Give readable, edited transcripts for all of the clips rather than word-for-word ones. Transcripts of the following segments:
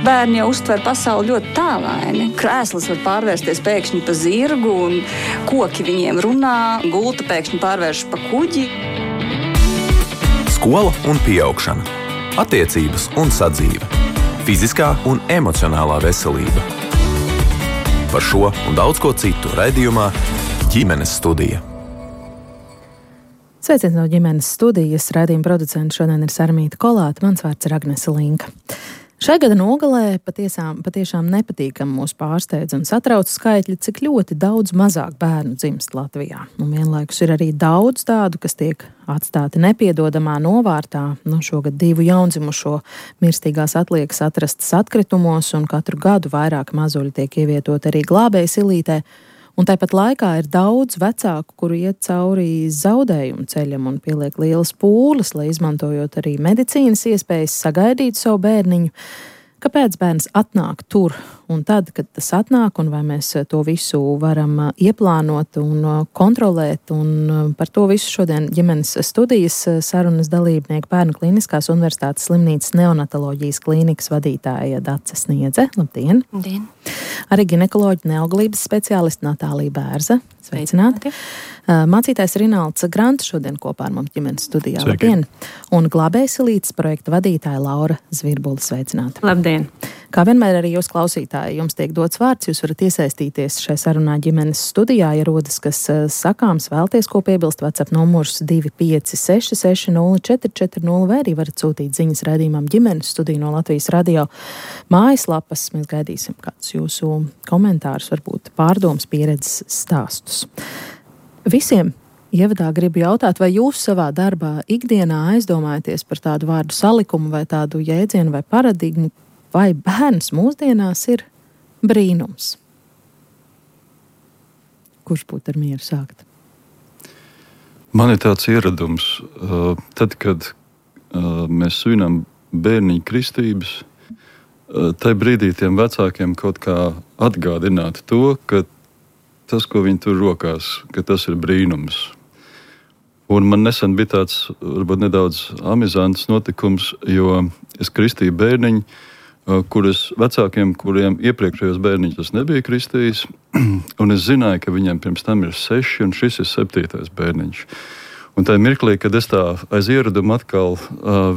Bērni jau uztver pasauli ļoti tālaini. Krēsls var pārvērsties pēkšņi pa zirgu, un koki viņiem runā, gulta pēkšņi pārvērš pa kuģi. Skola un pieaugšana, attiecības un sadzīve, fiziskā un emocionālā veselība. Par šo un daudz ko citu raidījumā Ģimenes studija. Sveiciens no Ģimenes studijas. Raidījuma producents šodien ir Sarmīta Kolāte, mans vārds ir Agnese Linka. Šai gada nogalē patiešām nepatīkami mūs pārsteidz un satrauc skaitļi, cik ļoti daudz mazāk bērnu dzimst Latvijā. Un vienlaikus ir arī daudz tādu, kas tiek atstāti nepiedodamā novārtā. Šogad 2 jaundzimušo mirstīgās atliekas atrastas atkritumos, un katru gadu vairāk mazuļi tiek ievietot arī glābējas ilītē. Un tāpat laikā ir daudz vecāku, kuri iet cauri zaudējumu ceļam un pieliek lielas pūles, lai izmantojot arī medicīnas iespējas sagaidītu savu bērniņu. Kāpēc bērns atnāk tur un tad, kad tas atnāk, un vai mēs to visu varam ieplānot un kontrolēt? Un par to visu šodien Ģimenes studijas sarunas dalībnieki Bērnu Kliniskās Universitātes slimnīcas neonatoloģijas klīnikas vadītāja Dace Sniedze. Labdien! Labdien! Arī ginekoloģa neauglības speciāliste Natālija Bērza. Sveicināti! Mācītājs Rinalds Grants šodien kopā ar mums Ģimenes studijā. Sveiki. Labdien! Un glābējas ilītes projekta vadītāja Laura Zvirbula. Sveicināti! Labdien! Kā vienmēr arī jūs klausītāji, jums tiek dots vārds, jūs varat iesaistīties šai sarunā Ģimenes studijā, ja rodas kas sakāms, vēlties ko piebilst, WhatsApp numurs 256 60 vai arī varat sūtīt ziņas raidījumam Ģimenes studiju no Latvijas radio mājaslapas. Mēs gaidīsim kādus jūsu komentārus, varbūt pārdomas, pieredzes stāstus. Visiem ievadā gribu jautāt, vai jūs savā darbā ikdienā aizdomājaties par tādu vārdu salikumu vai tādu jēdzienu vai paradigmu, vai bērns mūsdienās ir brīnums? Kurš būtu ar mieru sākt? Man ir tāds ieradums, tad, kad mēs svinam bērniņu kristības, tajā brīdī tiem vecākiem kaut kā atgādināt to, ka tas, ko viņi tur rokās, ka tas ir brīnums. Un man nesen bija tāds, varbūt nedaudz amizants notikums, jo es kristīju bērniņu, kuras vecākiem, kuriem iepriekšējos bērniņus tas nebija kristījis, un es zināju, ka viņiem pirms tam ir 6, un šis ir 7. bērniņš. Un tajā mirklī, kad es tā aiz ieradumu atkal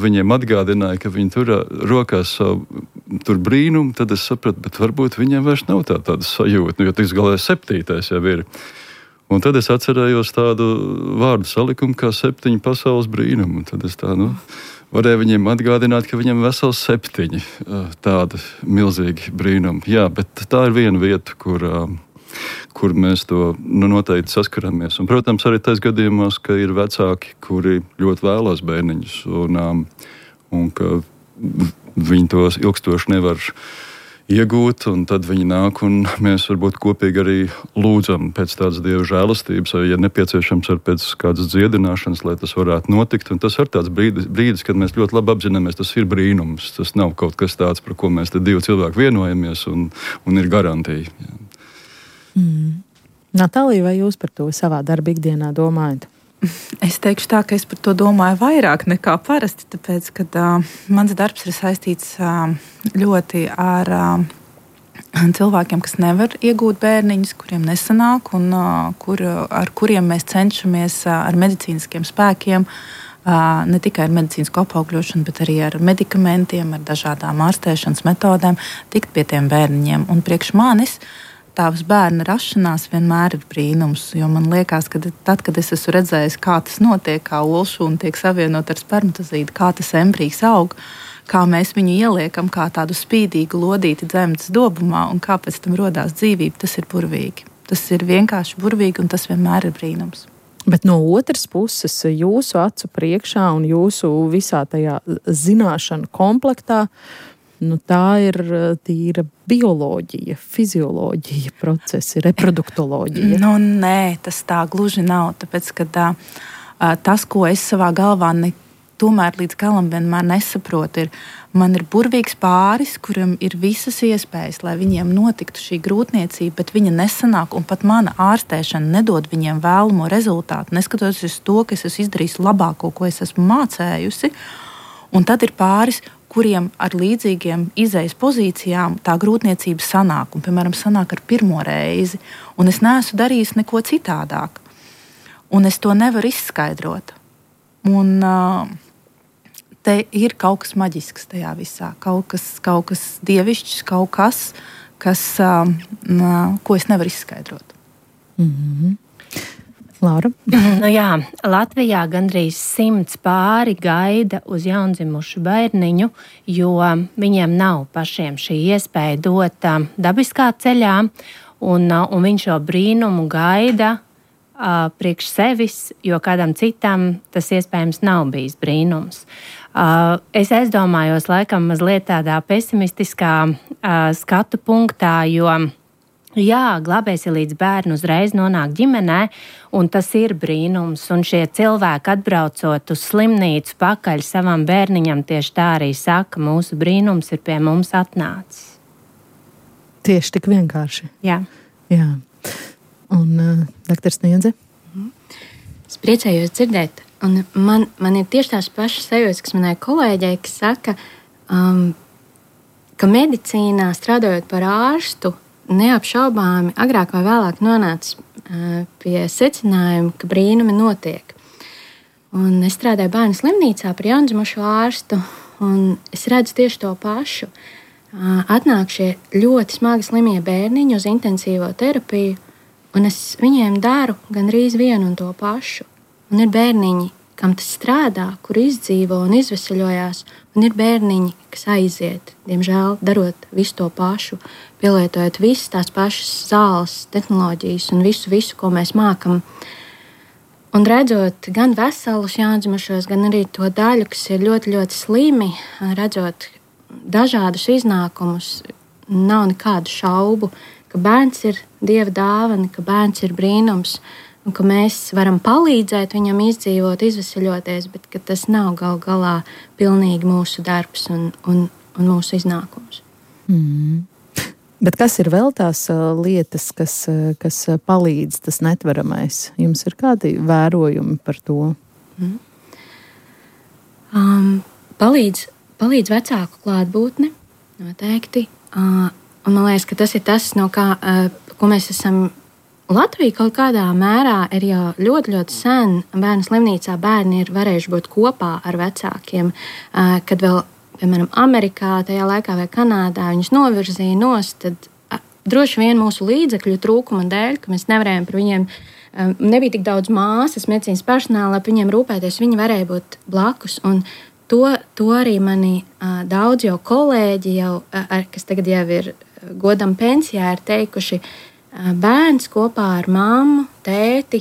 viņiem atgādināju, ka viņi tur rokās savu tur brīnumu, tad es sapratu, bet varbūt viņiem vairs nav tāda sajūta, jo tiks galā 7. jau ir. Un tad es atcerējos tādu vārdu salikumu kā 7 pasaules brīnumu, un tad es tā, varēju viņiem atgādināt, ka viņiem vesels 7 tāda milzīgi brīnumi. Jā, bet tā ir viena vieta, kur mēs to noteikti saskaramies. Un, protams, arī tais gadījumos, ka ir vecāki, kuri ļoti vēlās bērniņus, un ka viņi tos ilgstoši nevar iegūt, un tad viņi nāk, un mēs varbūt kopīgi arī lūdzam pēc tādas Dieva žēlastības, vai, ja nepieciešams, ar pēc kādas dziedināšanas, lai tas varētu notikt. Un tas ir tāds brīdis, kad mēs ļoti labi apzināmies, tas ir brīnums. Tas nav kaut kas tāds, par ko mēs te 2 cilvēki vienojamies, un ir garantija. Jā. Natālija, vai jūs par to savā darba ikdienā domājat? Es teikšu tā, ka es par to domāju vairāk nekā parasti, tāpēc, ka mans darbs ir saistīts ļoti ar cilvēkiem, kas nevar iegūt bērniņus, kuriem nesanāk, un ar kuriem mēs cenšamies ar medicīniskiem spēkiem, ne tikai ar medicīnisku apaugļošanu, bet arī ar medikamentiem, ar dažādām ārstēšanas metodēm, tikt pie tiem bērniņiem. Un priekš manis tavs bērna rašanās vienmēr ir brīnums, jo man liekas, ka tad, kad es esmu redzējis, kā tas notiek, kā olšūna tiek savienot ar spermatozīdu, kā tas embrijs aug, kā mēs viņu ieliekam kā tādu spīdīgu lodīti dzemdas dobumā un kā pēc tam rodās dzīvība, tas ir burvīgi. Tas ir vienkārši burvīgi un tas vienmēr ir brīnums. Bet no otras puses, jūsu acu priekšā un jūsu visā tajā zināšanu komplektā, tā ir tīra bioloģija, fizioloģija procesi, reproduktoloģija. Nē, tas tā gluži nav, tāpēc, ka tas, ko es savā galvā tomēr līdz galam vienmēr nesaprotu, man ir burvīgs pāris, kuram ir visas iespējas, lai viņiem notiktu šī grūtniecība, bet viņa nesanāk, un pat mana ārstēšana nedod viņiem vēlamo rezultātu, neskatoties uz to, ka es esmu izdarījis labāko, ko es esmu mācējusi. Un tad ir pāris, kuriem ar līdzīgiem izejas pozīcijām tā grūtniecība sanāk, un, piemēram, sanāk ar pirmo reizi, un es neesmu darījis neko citādāk, un es to nevaru izskaidrot. Un te ir kaut kas maģisks tajā visā, kaut kas dievišķs, kaut kas, ko es nevaru izskaidrot. Laura? Jā, Latvijā gandrīz 100 pāri gaida uz jaundzimušu bērniņu, jo viņiem nav pašiem šī iespēja dot dabiskā ceļā, un viņš šo brīnumu gaida priekš sevis, jo kādam citam tas iespējams nav bijis brīnums. Es aizdomājos laikam mazliet tādā pesimistiskā skatu punktā, jo glābējs ir līdz bērnu uzreiz nonāk ģimenē, un tas ir brīnums. Un šie cilvēki atbraucot uz slimnīcu pakaļ savam bērniņam tieši tā arī saka, mūsu brīnums ir pie mums atnācis. Tieši tik vienkārši. Jā. Un doktor Sniedze? Es priecājos dzirdēt, un man ir tieši tās pašas sajūtas, kas manai kolēģei, kas saka, ka medicīnā strādājot par ārstu, neapšaubāmi agrāk vai vēlāk nonāca pie secinājuma, ka brīnumi notiek. Un es strādāju bērnu slimnīcā par jaundzimušu ārstu, un es redzu tieši to pašu. Atnāk šie ļoti smagi slimie bērniņi uz intensīvo terapiju, un es viņiem daru gandrīz vienu un to pašu. Un ir bērniņi, kam tas strādā, kur izdzīvo un izveseļojās, un ir bērniņi, kas aiziet, diemžēl, darot visu to pašu, pielietojot visas tās pašas zāles, tehnoloģijas un visu, ko mēs mākam. Un redzot gan veselus jaundzimušos, gan arī to daļu, kas ir ļoti, ļoti slimi, redzot dažādus iznākumus, nav nekādu šaubu, ka bērns ir Dieva dāvana, ka bērns ir brīnums, un ka mēs varam palīdzēt viņam izdzīvot, izveseļoties, bet ka tas nav gal galā pilnīgi mūsu darbs un mūsu iznākums. Bet kas ir vēl tās lietas, kas palīdz, tas netveramais? Jums ir kādi vērojumi par to? Palīdz vecāku klātbūtne, noteikti. Un man liekas, ka tas ir tas, no kā, ko mēs esam. Latvija kaut kādā mērā ir jau ļoti, ļoti sen. Bērnu slimnīcā bērni ir varējuši būt kopā ar vecākiem, kad vēl, piemēram, Amerikā tajā laikā vai Kanādā viņus novirzīja nost, tad droši vien mūsu līdzekļu trūkuma dēļ, ka mēs nevarējām par viņiem, nebija tik daudz māsas, medicīnas personāla, lai viņiem rūpēties, viņi varēja būt blakus. Un to arī mani daudz jau kolēģi, kas tagad jau ir godam pensijā, ir teikuši, bērns kopā ar mammu, tēti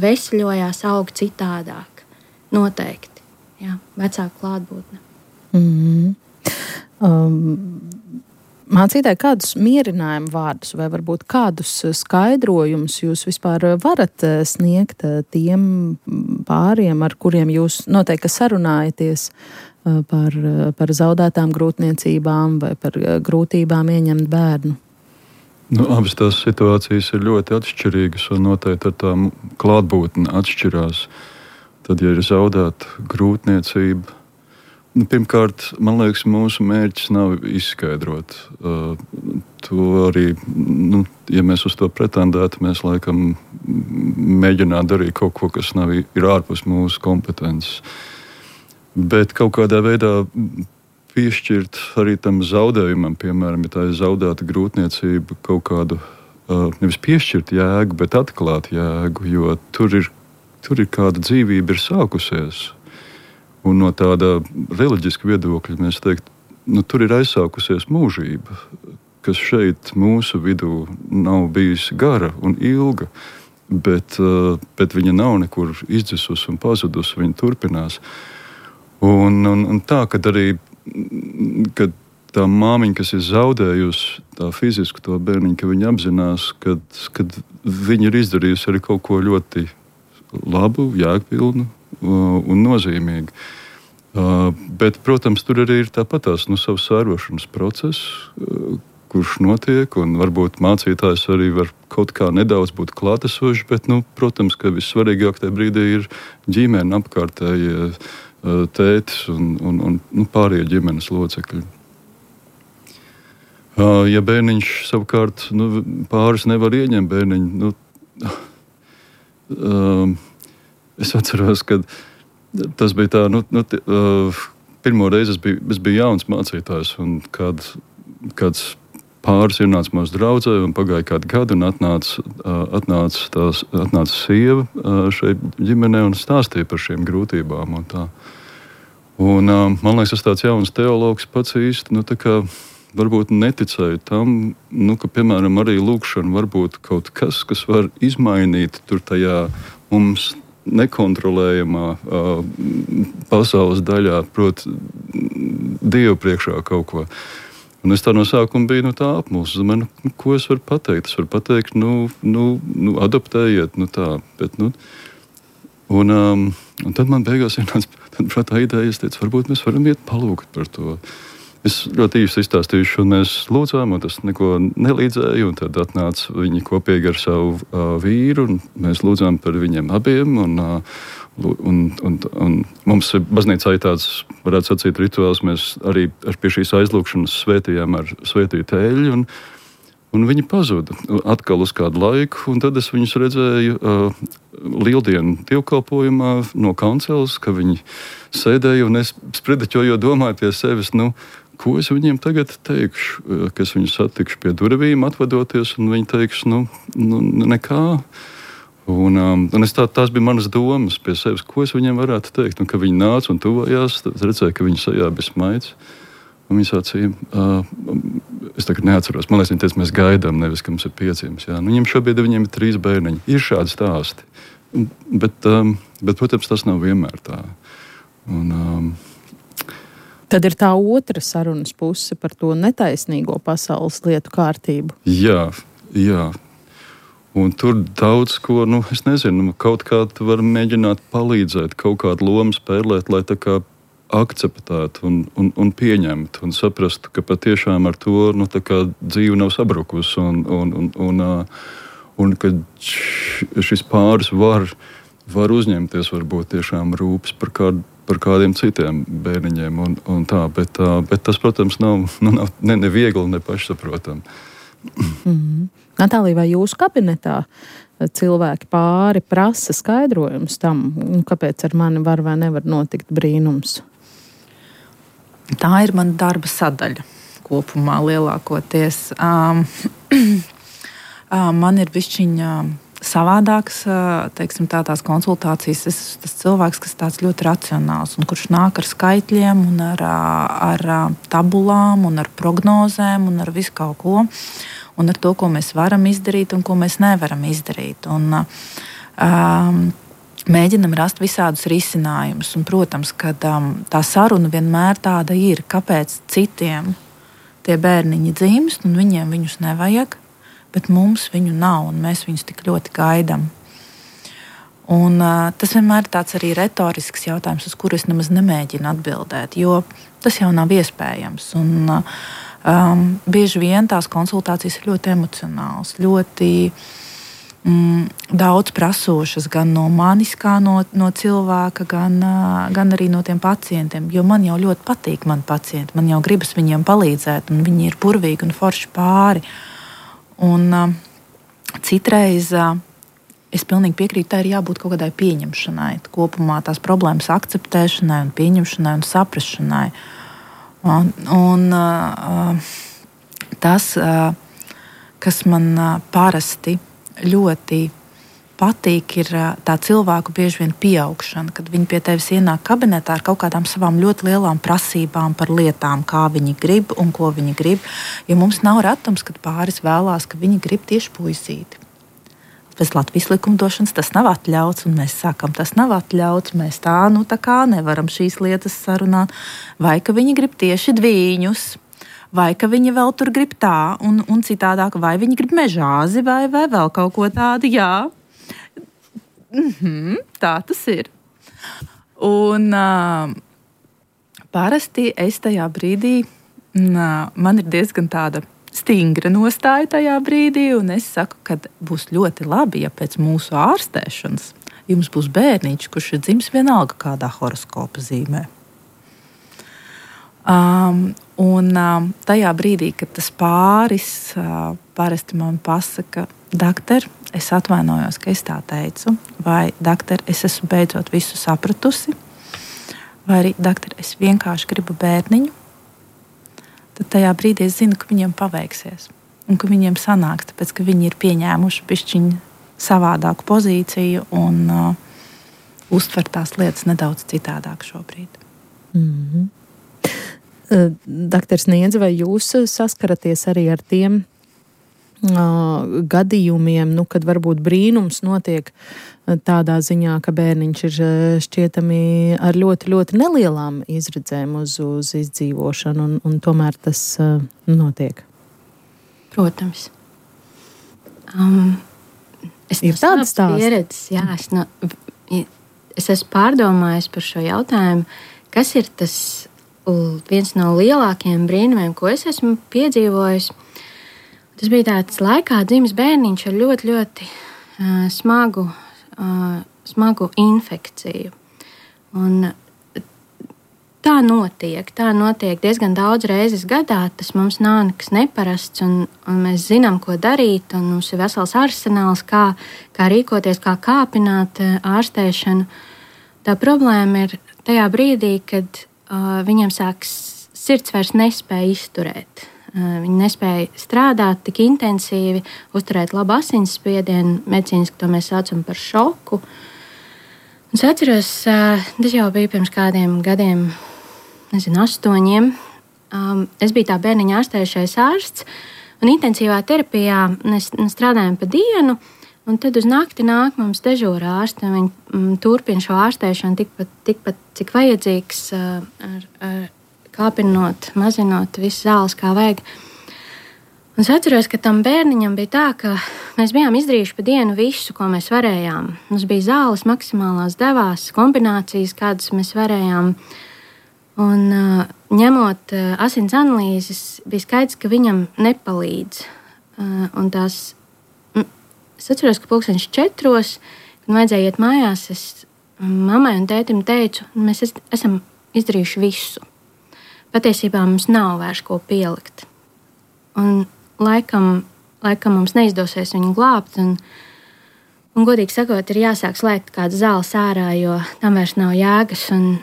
veseļojās, aug citādāk. Noteikti. Jā, vecāku klātbūtne. Mācītāji, kādus mierinājumu vārdus vai varbūt kādus skaidrojumus jūs vispār varat sniegt tiem pāriem, ar kuriem jūs noteikti sarunājaties par zaudētām grūtniecībām vai par grūtībām ieņemt bērnu? Abas tās situācijas ir ļoti atšķirīgas un noteikti ar tām klātbūtni atšķirās. Tad, ja ir zaudēta grūtniecība, pirmkārt, man liekas, mūsu mērķis nav izskaidrot. To arī, ja mēs uz to pretendētu, mēs laikam mēģinātu darīt kaut ko, kas ir ārpus mūsu kompetences. Bet kaut kādā veidā piešķirt arī tam zaudējumam, piemēram, ja tā ir zaudēta grūtniecība, kaut kādu nevis piešķirt jēgu, bet atklāt jēgu, jo tur ir kāda dzīvība ir sākusies. Un no tāda reliģiska viedokļa mēs teiktu, tur ir aizsākusies mūžība, kas šeit mūsu vidū nav bijusi gara un ilga, bet viņa nav nekur izdzisusi un pazudusi, viņa turpinās. Un tā, kad arī kad tā māmiņa, kas ir zaudējusi tā fizisku to bērniņu, ka viņa apzinās, kad viņa ir izdarījusi arī kaut ko ļoti labu, jēgpilnu un nozīmīgu. Bet, protams, tur arī ir tāpatās savs sērošanas process, kurš notiek, un varbūt mācītājs arī var kaut kā nedaudz būt klātesošs, bet, protams, ka vissvarīgāk tajā brīdī ir ģimene, apkārtējie tētis un pārējie ģimenes locekļi. Ja bērniņš savukārt pāris nevar ieņemt bērniņu, es atceros, ka tas bija tā, pirmo reizi es biju jauns mācītājs, un kāds pāris ienāca mūsu draudzē, un pagāja kādu gadu, un atnāca sieva šeit ģimenē un stāstīja par šīm grūtībām. Un tā. Un, man liekas, es tāds jauns teologs pats īsti, varbūt neticēju tam, ka, piemēram, arī lūkšana var būt kaut kas, kas var izmainīt tur tajā mums nekontrolējamā pasaules daļā, proti, Dievu priekšā kaut ko. Un es tā no sākuma biju tā apmulsis. Ko es varu pateikt? Es varu pateikt, adoptējiet, tā. Bet, un tad man beigās ienāca prātā ideja, es teicu, varbūt mēs varam iet palūgt par to. Es ļoti īsti izstāstīšu, un mēs lūdzām, un tas neko nelīdzēja, un tad atnāca viņi kopīgi ar savu vīru, un mēs lūdzām par viņiem abiem, un mums baznīcā ir tāds, varētu sacīt, rituāls, mēs arī pie šīs aizlūkšanas svētījām ar svētītu eļļu, un viņi pazuda atkal uz kādu laiku, un tad es viņus redzēju lieldienu dievkalpojumā no kanceles, ka viņi sēdēja, un es spredeķojot domāju pie sevis, ko es viņiem tagad teikšu, ka es viņus satikšu pie durvīm, atvadoties, un viņi teiks, nekā. Un tās bija manas domas pie sevis, ko es viņiem varētu teikt. Un, kad viņi nāca un tuvojās, tad redzēju, ka viņi sajā bija smaids. Un viņi sacīja, es tagad neatceros, man liekas, viņi teica, mēs gaidām, nevis, ka mums ir piedzimts. Viņiem šobrīd viņiem ir 3 bērniņi. Ir šādi stāsti. Bet, protams, tas nav vienmēr tā. Tad ir tā otra sarunas puse par to netaisnīgo pasaules lietu kārtību. Jā. Un tur daudz ko, es nezinu, kaut kā tu vari mēģināt palīdzēt, kaut kādu lomu spēlēt, lai tā kā akceptētu un pieņemtu un saprastu, ka patiešām ar to tā kā dzīve nav sabrukusi un ka šis pāris var uzņemties varbūt tiešām rūpes par kādiem citiem bērniņiem un tā, bet tas, protams, nav ne viegli, ne pašsaprotami. Natālija, vai jūsu kabinetā cilvēki pāri prasa skaidrojumus tam, kāpēc ar mani var vai nevar notikt brīnums? Tā ir mana darba sadaļa kopumā lielākoties. Man ir bišķiņa savādāks, teiksim, tās konsultācijas. Es esmu tas cilvēks, kas tāds ļoti racionāls un kurš nāk ar skaitļiem un ar tabulām un ar prognozēm un ar visu kaut ko. Un ar to, ko mēs varam izdarīt un ko mēs nevaram izdarīt. Un mēģinam rast visādus risinājumus. Un, protams, ka tā saruna vienmēr tāda ir, kāpēc citiem tie bērniņi dzimst un viņiem viņus nevajag, bet mums viņu nav, un mēs viņus tik ļoti gaidām. Un, tas vienmēr ir tāds arī retorisks jautājums, uz kuru es nemaz nemēģinu atbildēt, jo tas jau nav iespējams. Un, bieži vien tās konsultācijas ir ļoti emocionālas, ļoti daudz prasošas gan no manis, kā no cilvēka, gan arī no tiem pacientiem. Jo man jau ļoti patīk mani pacienti, man jau gribas viņiem palīdzēt, un viņi ir burvīgi un forši pāri. Un citreiz es pilnīgi piekrītu, tā ir jābūt kaut kādai pieņemšanai, kopumā tās problēmas akceptēšanai un pieņemšanai un saprašanai. Un tas, kas man parasti ļoti patīk, ir tā cilvēku bieži vien pieaugšana, kad viņi pie tevis ienāk kabinetā ar kaut kādām savām ļoti lielām prasībām par lietām, kā viņi grib un ko viņi grib. Jo mums nav retums, kad pāris vēlās, ka viņi grib tieši puisīti. Pēc Latvijas likumdošanas tas nav atļauts, un mēs sakam, tas nav atļauts, mēs tā kā nevaram šīs lietas sarunāt. Vai ka viņi grib tieši dvīņus, vai ka viņi vēl tur grib tā un citādāk, vai viņi grib mežāzi, vai vēl kaut ko tādu, jā. Tā tas ir. Un parasti es tajā brīdī, man ir diezgan tāda stingra nostāja tajā brīdī, un es saku, ka būs ļoti labi, ja pēc mūsu ārstēšanas jums būs bērniņš, kurš ir dzimis vienalga kādā horoskopa zīmē. Tajā brīdī, kad tas pāris parasti man pasaka, doktor, es atvainojos, ka es tā teicu, vai doktor, es esmu beidzot visu sapratusi, vai arī doktor, es vienkārši gribu bērniņu, tad tajā brīdī es zinu, ka viņiem paveiksies un ka viņiem sanāks, tāpēc, ka viņi ir pieņēmuši bišķiņu savādāku pozīciju un uztver tās lietas nedaudz citādāk šobrīd. Mm-hmm. Doktors Niedze, vai jūs saskaraties arī ar tiem gadījumiem, kad varbūt brīnums notiek tādā ziņā, ka bērniņš ir šķietami ar ļoti, ļoti nelielām izredzēm uz izdzīvošanu, un tomēr tas notiek? Protams. Es ir tādas pieredzes, jā, es esmu pārdomājis par šo jautājumu, kas ir tas viens no lielākajiem brīnumiem, ko es esmu piedzīvojis. Tas bija tāds laikā dzimis bērniņš ar ļoti, ļoti smagu infekciju. Un tā notiek diezgan daudz reizes gadā. Tas mums nav nekas neparasts, un mēs zinām, ko darīt, un mums ir vesels arsenāls, kā rīkoties, kā kāpināt ārstēšanu. Tā problēma ir tajā brīdī, kad viņam sirds vairs nespēja izturēt. Viņi nespēja strādāt tik intensīvi, uzturēt labu asinsspiedienu, medicīniski to mēs saucam par šoku. Un es atceros, tas jau bija pirms kādiem gadiem, 8. Es biju tā bērniņa ārstējušais ārsts, un intensīvā terapijā mēs strādājam pa dienu, un tad uz nakti nāk mums dežūra ārsti, un viņi turpina šo ārstēšanu tikpat cik vajadzīgs, kāpinot, mazinot visu zāles, kā vajag. Un es atceros, ka tam bērniņam bija tā, ka mēs bijām izdarījuši pa dienu visu, ko mēs varējām. Mums bija zāles maksimālās devās, kombinācijas, kādas mēs varējām. Un ņemot asins analīzes, bija skaidrs, ka viņam nepalīdz. Un tās es atceros, ka 4:00, kad vajadzēja iet mājās, es mammai un tētim teicu, mēs esam izdarījuši visu. Patiesībā mums nav vairs ko pielikt. Un laikam mums neizdosies viņu glābt, un godīgi sakot, ir jāsāk slēgt kādas zāles ārā, jo tam vairs nav jēgas, un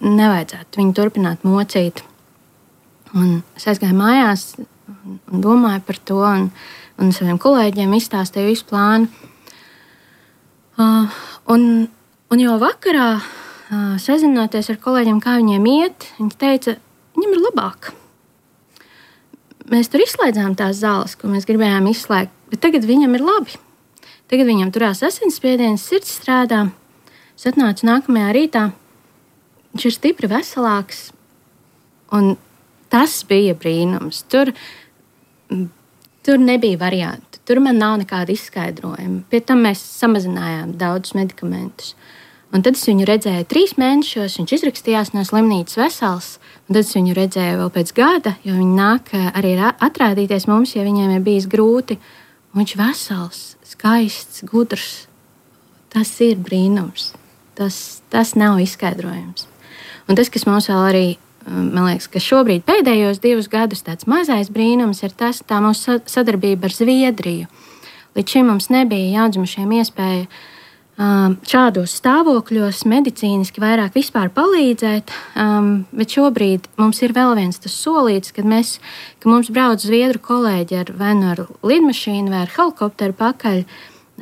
nevajadzētu viņu turpināt mocīt. Un es aizgāju mājās un domāju par to, un saviem kolēģiem izstāstīju visu plānu. Un jau vakarā, sazinoties ar kolēģiem, kā viņiem iet, viņi teica, viņam ir labāk. Mēs tur izslēdzām tās zāles, ko mēs gribējām izslēgt, bet tagad viņam ir labi. Tagad viņam turās asinsspiediens, sirds strādā. Es atnācu nākamajā rītā, viņš ir stipri veselāks, un tas bija brīnums. Tur nebija variantu. Tur man nav nekāda izskaidrojuma. Pie tam mēs samazinājām daudzus medikamentus. Un tad es viņu redzēju 3 mēnešos, viņš izrakstījās no slimnīcas vesels. Un tad es viņu redzēju vēl pēc gada, jo viņi nāk arī atrādīties mums, ja viņiem ir bijis grūti. Un viņš vesels, skaists, gudrs. Tas ir brīnums. Tas nav izskaidrojums. Un tas, kas mums vēl arī, man liekas, ka šobrīd pēdējos 2 gadus tāds mazais brīnums ir tā mūsu sadarbība ar Zviedriju. Līdz šim mums nebija jaundzimušiem iespēja šādos stāvokļos medicīniski vairāk vispār palīdzēt, bet šobrīd mums ir vēl viens tas solīts, ka mums brauc zviedru kolēģi vai nu ar lidmašīnu vai ar helikopteru pakaļ.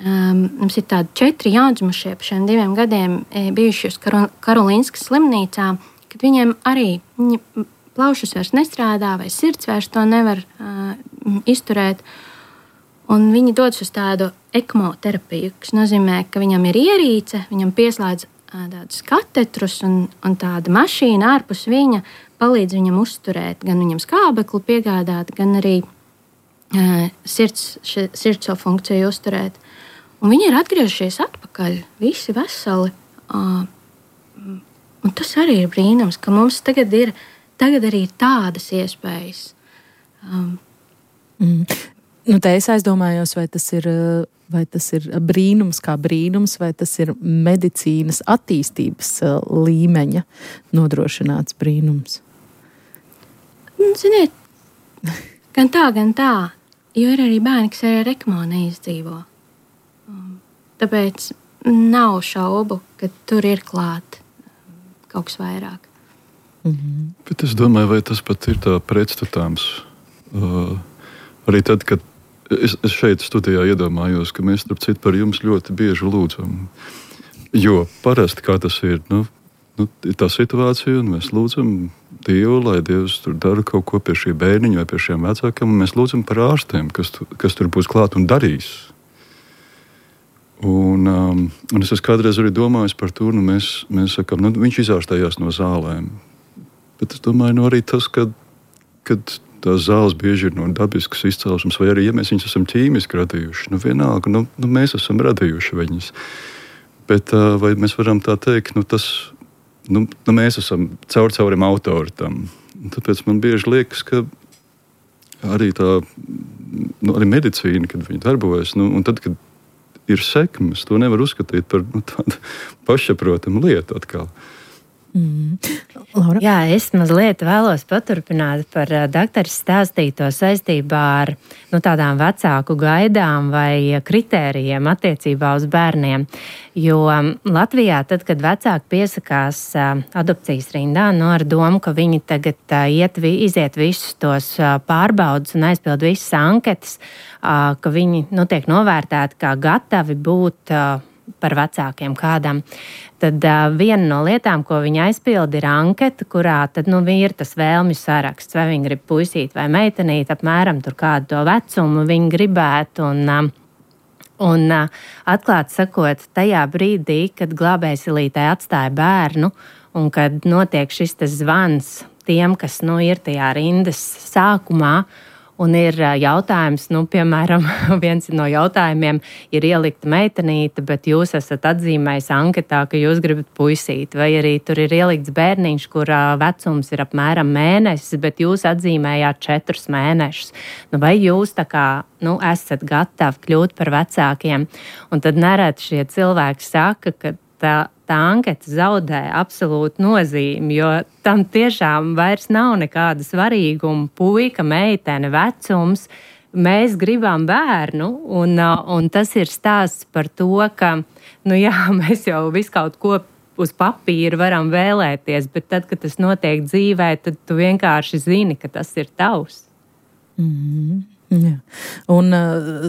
Mums ir tādi 4 jaundzimušie pa šiem 2 gadiem bijuši uz Karolīnskas slimnīcā, kad viņiem arī plaušas vairs nestrādā vai sirds vairs to nevar izturēt. Un viņi dodas uz tādu ekmo terapiju, kas nozīmē, ka viņam ir ierīce, viņam pieslēdz tādus katetrus un tāda mašīna ārpus viņa palīdz viņam uzturēt, gan viņam skābekli piegādāt, gan arī sirds šo funkciju uzturēt. Un viņi ir atgriežušies atpakaļ, visi veseli. Un tas arī ir brīnums, ka mums tagad arī ir tādas iespējas. Te es aizdomājos, vai tas ir brīnums kā brīnums, vai tas ir medicīnas attīstības līmeņa nodrošināts brīnums? Ziniet, gan tā, jo ir arī bērni, kas ar ECMO neizdzīvo. Tāpēc nav šaubu, ka tur ir klāt kaut kas vairāk. Bet es domāju, vai tas pat ir tā pretstatāms. Arī tad, kad es šeit studijā iedomājos, ka mēs starp citu par jums ļoti bieži lūdzam. Jo parasti kā tas ir, ir tā situācija, un mēs lūdzam Dievu, lai Dievs tur dara kaut ko pie šī bērniņa vai pie šiem vecākiem, un mēs lūdzam par ārstiem, kas tur būs klāt un darīs. Un es esmu kādreiz arī domājis par to, mēs sakam, viņš izārstējās no zālēm. Bet es domāju, arī tas, kad tās zāles bieži ir no dabiskas izcelsmes, vai arī, ja mēs viņus esam ķīmiski radījuši, vienalga, mēs esam radījuši viņus. Bet vai mēs varam tā teikt, mēs esam caurim autori tam. Tāpēc man bieži liekas, ka arī tā, arī medicīna, kad viņi darbojas, un tad, kad ir sekmes, to nevar uzskatīt par tādu pašsaprotamu lietu atkal. Laura? Jā, es mazliet vēlos paturpināt par doktoras stāstīto saistībā ar tādām vecāku gaidām vai kritērijiem attiecībā uz bērniem. Jo Latvijā, tad, kad vecāki piesakās adopcijas rindā, ar domu, ka viņi tagad iziet visus tos pārbaudus un aizpild visas anketas, ka viņi tiek novērtēti kā gatavi būt par vecākiem kādam, tad viena no lietām, ko viņi aizpilda, ir anketa, kurā tad ir tas vēlmju saraksts, vai viņi grib puisīt vai meitenīt, apmēram tur kādu to vecumu viņi gribētu. Un atklāti sakot, tajā brīdī, kad glābējsilītē atstāja bērnu un kad notiek šis zvans tiem, kas ir tajā rindas sākumā, un ir jautājums, piemēram, viens no jautājumiem ir ielikta meitenīte, bet jūs esat atzīmējis anketā, ka jūs gribat puisīt, vai arī tur ir ielikts bērniņš, kurā vecums ir apmēram mēnesis, bet jūs atzīmējāt 4 mēnešus. Vai jūs tā kā, esat gatavi kļūt par vecākiem? Un tad nereti šie cilvēki saka, ka tā anketa zaudē absolūti nozīmi, jo tam tiešām vairs nav nekāda svarīguma, puika, meitene, vecums. Mēs gribam bērnu, un tas ir stāsts par to, ka, mēs jau visu kaut ko uz papīra varam vēlēties, bet tad, kad tas notiek dzīvē, tad tu vienkārši zini, ka tas ir tavs. Jā. Un,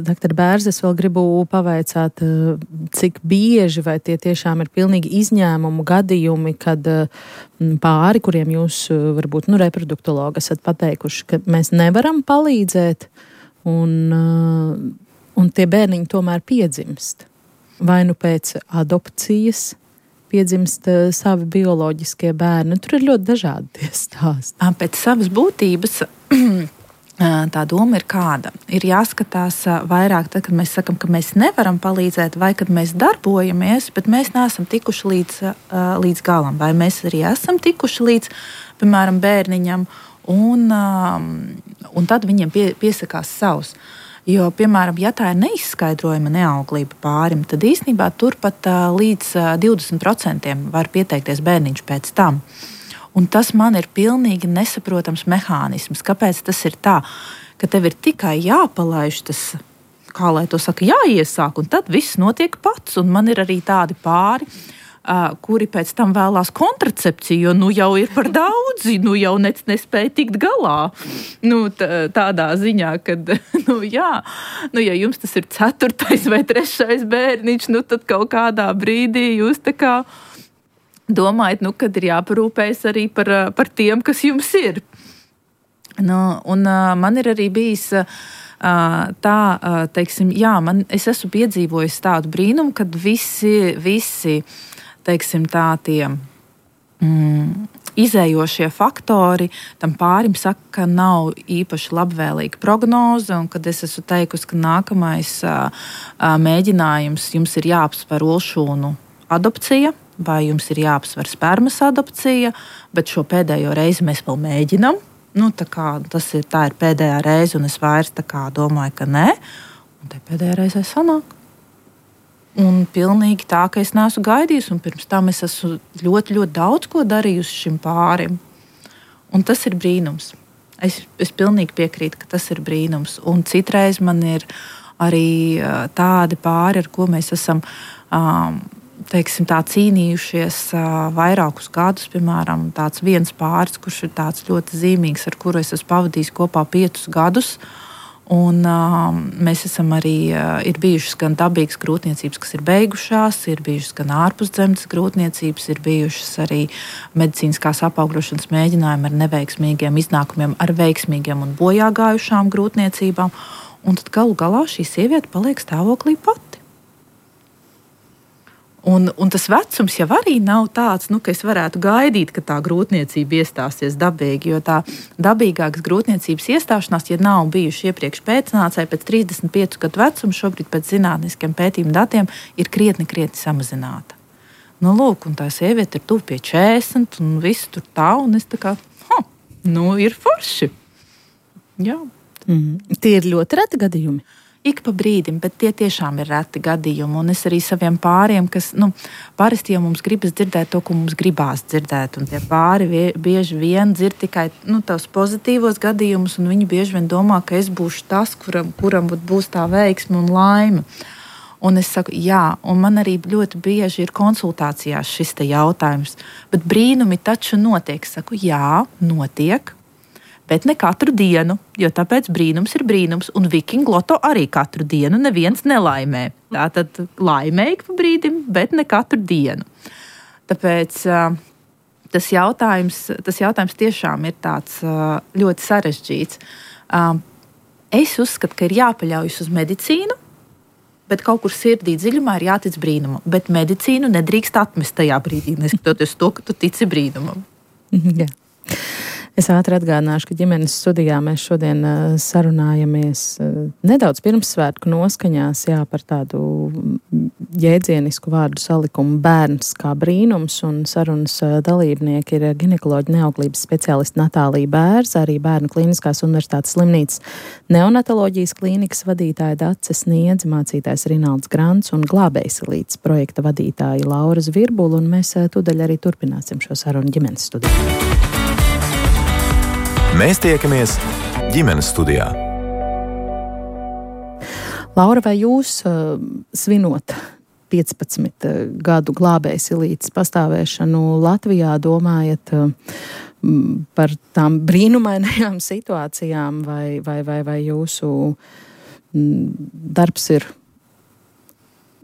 doktor Bērz, es vēl gribu pavaicāt, cik bieži vai tie tiešām ir pilnīgi izņēmumu gadījumi, kad pāri, kuriem jūs varbūt reproduktologi esat pateikuši, ka mēs nevaram palīdzēt, un tie bērniņi tomēr piedzimst. Vai pēc adopcijas piedzimst savi bioloģiskie bērni. Tur ir ļoti dažādi tie stāsti. Pēc savas būtības tā doma ir kāda. Ir jāskatās vairāk, tad, kad mēs sakam, ka mēs nevaram palīdzēt, vai kad mēs darbojamies, bet mēs neesam tikuši līdz galam, vai mēs arī esam tikuši līdz, piemēram, bērniņam, un tad viņiem piesakās savs. Jo, piemēram, ja tā ir neizskaidrojama neauglība pārim, tad īstenībā turpat līdz 20% var pieteikties bērniņš pēc tam. Un tas man ir pilnīgi nesaprotams mehānisms. Kāpēc tas ir tā, ka tev ir tikai jāpalaiž tas, kā lai to saka, jāiesāk, un tad viss notiek pats. Un man ir arī tādi pāri, kuri pēc tam vēlās kontracepciju, jo jau ir par daudzi, jau nespēja tikt galā. Tādā ziņā, kad, ja jums tas ir 4. vai 3. bērniņš, tad kaut kādā brīdī jūs tā kā domājat, kad ir jāparūpējas arī par tiem, kas jums ir. Man ir arī bijis tā, teiksim, es esmu piedzīvojis tādu brīnumu, kad visi teiksim, tā tie izējošie faktori tam pārim saka, ka nav īpaši labvēlīga prognoze, un kad es esmu teikusi, ka nākamais mēģinājums jums ir jāapsver olšūnu adopcija, vai jums ir jāapsver spermas adopcija, bet šo pēdējo reizi mēs vēl mēģinam. tā ir pēdējā reize, un es vairs domāju, ka nē, un te pēdējā reizē sanāk. Un pilnīgi tā, ka es neesmu gaidījis, un pirms tam es esmu ļoti, ļoti daudz ko darījusi šim pārim. Un tas ir brīnums. Es pilnīgi piekrītu, ka tas ir brīnums. Un citreiz man ir arī tādi pāri, ar ko mēs esam cīnījušies vairākus gadus. Piemēram, tāds viens pāris, kurš ir tāds ļoti zīmīgs, ar kuru es esmu pavadījis kopā 5 gadus. Un mēs esam arī, ir bijušas gan dabīgas grūtniecības, kas ir beigušās, ir bijušas gan ārpusdzemdes grūtniecības, ir bijušas arī medicīniskās apaugļošanas mēģinājumi ar neveiksmīgiem iznākumiem, ar veiksmīgiem un bojāgājušām grūtniecībām. Un tad galu galā šī sieviete paliek stāvoklī pati. Un tas vecums jau arī nav tāds, ka es varētu gaidīt, ka tā grūtniecība iestāsies dabīgi, jo tā dabīgākas grūtniecības iestāšanās, ja nav bijuši iepriekš pēcnācēji, pēc 35 gadu vecuma, šobrīd pēc zinātniskiem pētījumu datiem, ir krietni samazināta. Lūk, un tā sieviete ir tuvu pie 40, un viss tur tā, un es ir forši. Jā. Tie ir ļoti reti gadījumi. Ik pa brīdim, bet tie tiešām ir reti gadījumi. Un es arī saviem pāriem, kas parasti jau mums gribas dzirdēt to, ko mums gribās dzirdēt. Un tie pāri bieži vien dzird tikai tos pozitīvos gadījumus, un viņi bieži vien domā, ka es būšu tas, kuram būs tā veiksme un laime. Un es saku, jā, un man arī ļoti bieži ir konsultācijās šis te jautājums. Bet brīnumi taču notiek. Es saku, jā, notiek. Bet ne katru dienu, jo tāpēc brīnums ir brīnums, un Vikingu loto arī katru dienu neviens nelaimē. Tātad laimē ik pa brīdim, bet ne katru dienu. Tāpēc tas jautājums tiešām ir tāds ļoti sarežģīts. Es uzskatu, ka ir jāpaļaujas uz medicīnu, bet kaut kur sirdī dziļumā ir jātic brīnumam. Bet medicīnu nedrīkst atmest tajā brīdī, neskatoties to, ka tu tici brīnumam. Jā. Es ātri atgādināšu, ka ģimenes studijā mēs šodien sarunājamies nedaudz pirmssvētku noskaņās par tādu jēdzienisku vārdu salikumu bērns kā brīnums, un sarunas dalībnieki ir ginekoloģa neauglības speciāliste Natālija Bērza, arī Bērnu Kliniskās universitātes slimnīcas neonatoloģijas klīnikas vadītāja Dace Sniedze, mācītājs Rinalds Grants un Glābējsilītes projekta vadītāja Laura Zvirbula, un mēs tūdaļ arī turpināsim šo sarunu ģimenes studijā. Mēs tiekamies ģimenes studijā. Laura, vai jūs svinot 15 gadu Glābējsilītes pastāvēšanu Latvijā domājat par tām brīnumainajām situācijām, vai jūsu darbs ir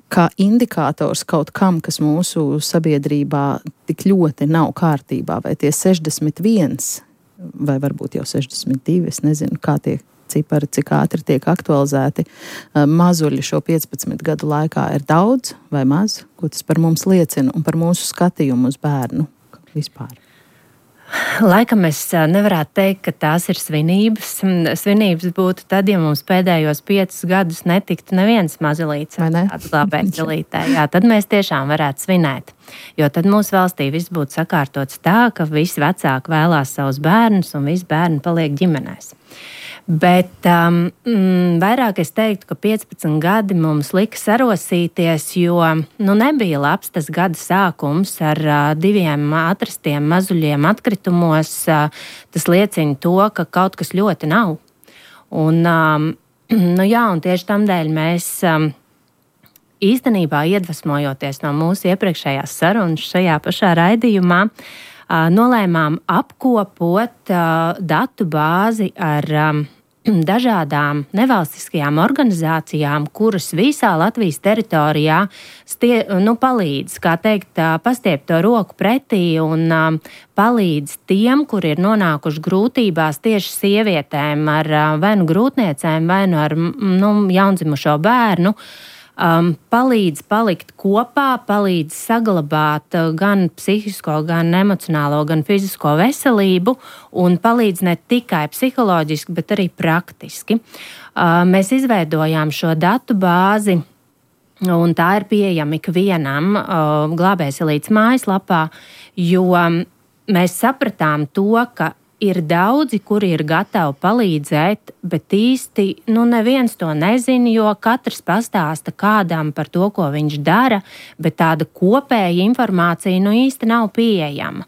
kā indikators kaut kam, kas mūsu sabiedrībā tik ļoti nav kārtībā, vai tie 61 vai varbūt jau 62, es nezinu, kā tie cipari, cik ātri tiek aktualizēti. Mazuļi šo 15 gadu laikā ir daudz vai maz? Ko tas par mums liecina un par mūsu skatījumu uz bērnu vispār? Laikam es nevarētu teikt, ka tās ir svinības. Svinības būtu tad, ja mums pēdējos 5 gadus netiktu neviens mazulīts ar tādu Glābējsilītē. Jā, tad mēs tiešām varētu svinēt. Jo tad mūsu valstī viss būtu sakārtots tā, ka visi vecāki vēlās savus bērnus un visi bērni paliek ģimenēs. Bet vairāk es teiktu, ka 15 gadi mums lika sarosīties, jo nebija labs tas gada sākums ar 2 atrastiem mazuļiem atkritumos. Tas liecina to, ka kaut kas ļoti nav. Un tieši tamdēļ mēs īstenībā iedvesmojoties no mūsu iepriekšējās sarunas šajā pašā raidījumā, nolēmām apkopot datu bāzi ar dažādām nevalstiskajām organizācijām, kuras visā Latvijas teritorijā palīdz, kā teikt, pastiept to roku pretī un palīdz tiem, kuri ir nonākuši grūtībās tieši sievietēm ar vai nu grūtniecēm, vai nu ar jaundzimušo bērnu. Palīdz palikt kopā, palīdz saglabāt gan psihisko, gan emocionālo, gan fizisko veselību un palīdz ne tikai psiholoģiski, bet arī praktiski. Mēs izveidojām šo datu bāzi, un tā ir pieejama ikvienam Glābējsilītes mājaslapā, jo mēs sapratām to, ka ir daudzi, kuri ir gatavi palīdzēt, bet īsti neviens to nezina, jo katrs pastāsta kādam par to, ko viņš dara, bet tāda kopēja informācija īsti nav pieejama.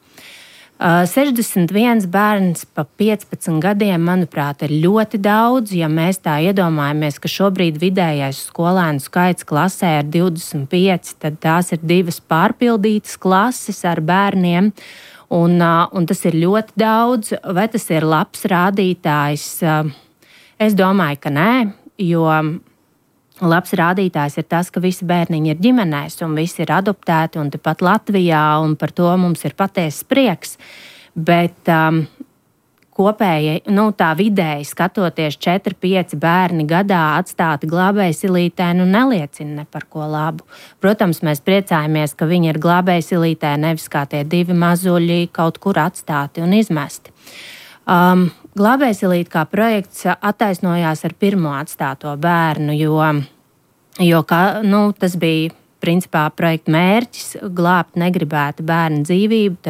61 bērns pa 15 gadiem, manuprāt, ir ļoti daudz. Ja mēs tā iedomājamies, ka šobrīd vidējais skolēnu skaits klasē ir 25, tad tās ir 2 pārpildītas klases ar bērniem. Un tas ir ļoti daudz. Vai tas ir labs rādītājs? Es domāju, ka nē, jo labs rādītājs ir tas, ka visi bērniņi ir ģimenēs un visi ir adoptēti un tepat Latvijā, un par to mums ir patiesas prieks. Bet kopēji, tā vidēji skatoties 4-5 bērni gadā atstāti glābējsilītē, neliecina ne par ko labu. Protams, mēs priecājamies, ka viņi ir glābējsilītē, nevis kā tie 2 mazuļi kaut kur atstāti un izmesti. Glābējsilīte kā projekts attaisnojās ar pirmo atstāto bērnu, jo tas bija principā projekta mērķis glābt negribēta bērna dzīvību.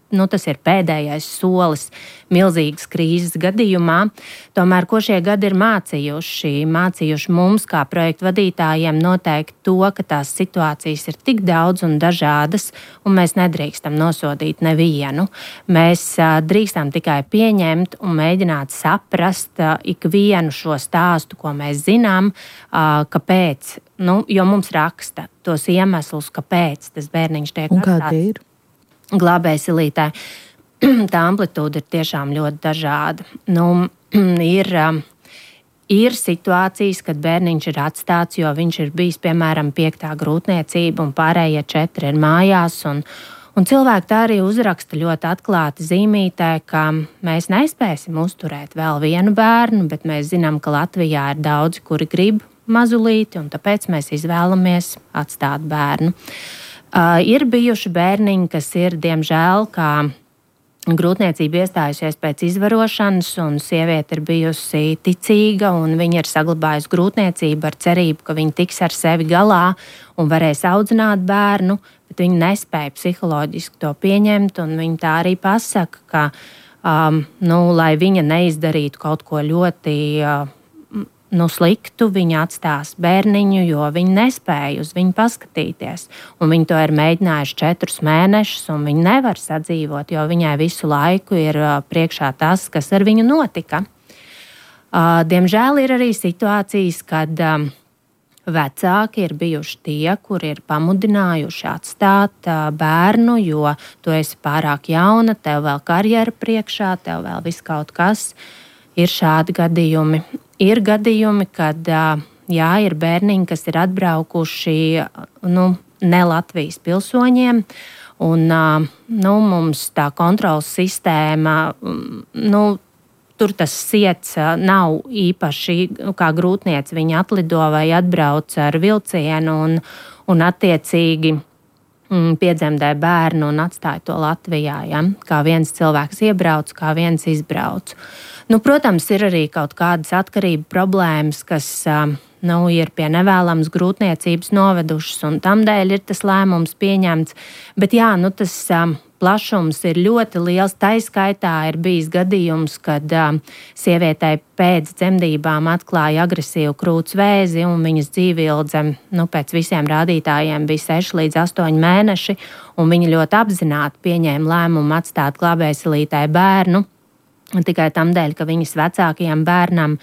Tas ir pēdējais solis milzīgas krīzes gadījumā. Tomēr, ko šie gadi ir mācījuši mums, kā projektu vadītājiem, noteikti to, ka tās situācijas ir tik daudz un dažādas, un mēs nedrīkstam nosodīt nevienu. Mēs drīkstam tikai pieņemt un mēģināt saprast ikvienu šo stāstu, ko mēs zinām, kāpēc, jo mums raksta tos iemeslus, kāpēc tas bērniņš tiek atstāts. Un kādi ir? Glābējsilītē. Tā amplitūda ir tiešām ļoti dažāda. Ir situācijas, kad bērniņš ir atstāts, jo viņš ir bijis, piemēram, 5. grūtniecība un pārējie 4 ir mājās. Un cilvēki tā arī uzraksta ļoti atklāti zīmītē, ka mēs nespēsim uzturēt vēl vienu bērnu, bet mēs zinām, ka Latvijā ir daudzi, kuri grib mazulīti, un tāpēc mēs izvēlamies atstāt bērnu. Ir bijuši bērniņi, kas ir, diemžēl, kā grūtniecība iestājusies pēc izvarošanas, un sieviete ir bijusi ticīga, un viņa ir saglabājusi grūtniecību ar cerību, ka viņa tiks ar sevi galā un varēs audzināt bērnu, bet viņa nespēja psiholoģiski to pieņemt, un viņa tā arī pasaka, ka, lai viņa neizdarītu kaut ko ļoti sliktu, viņa atstās bērniņu, jo viņi nespēja uz viņu paskatīties. Un viņi to ir mēģinājuši 4 mēnešus, un viņi nevar sadzīvot, jo viņai visu laiku ir priekšā tas, kas ar viņu notika. Diemžēl ir arī situācijas, kad vecāki ir bijuši tie, kuri ir pamudinājuši atstāt bērnu, jo tu esi pārāk jauna, tev vēl karjera priekšā, tev vēl viss kaut kas. Ir šādi gadījumi. Ir gadījumi, kad ir bērniņi, kas ir atbraukuši ne Latvijas pilsoņiem, un mums tā kontrolas sistēma, tur tas siets nav īpaši, kā grūtniece, viņa atlido vai atbrauc ar vilcienu un attiecīgi piedzemdē bērnu un atstāja to Latvijā. Ja? Kā viens cilvēks iebrauc, kā viens izbrauc. Protams, ir arī kaut kādas atkarību problēmas, kas ir pie nevēlamas grūtniecības novedušas, un tamdēļ ir tas lēmums pieņemts. Bet tas plašums ir ļoti liels. Tā skaitā ir bijis gadījums, kad sievietei pēc dzemdībām atklāja agresīvu krūts vēzi, un viņas dzīvildze pēc visiem rādītājiem bija 6 līdz 8 mēneši, un viņa ļoti apzināti pieņēma lēmumu atstāt glābējsilītē bērnu. Tikai tam dēļ, ka viņas vecākajam bērnam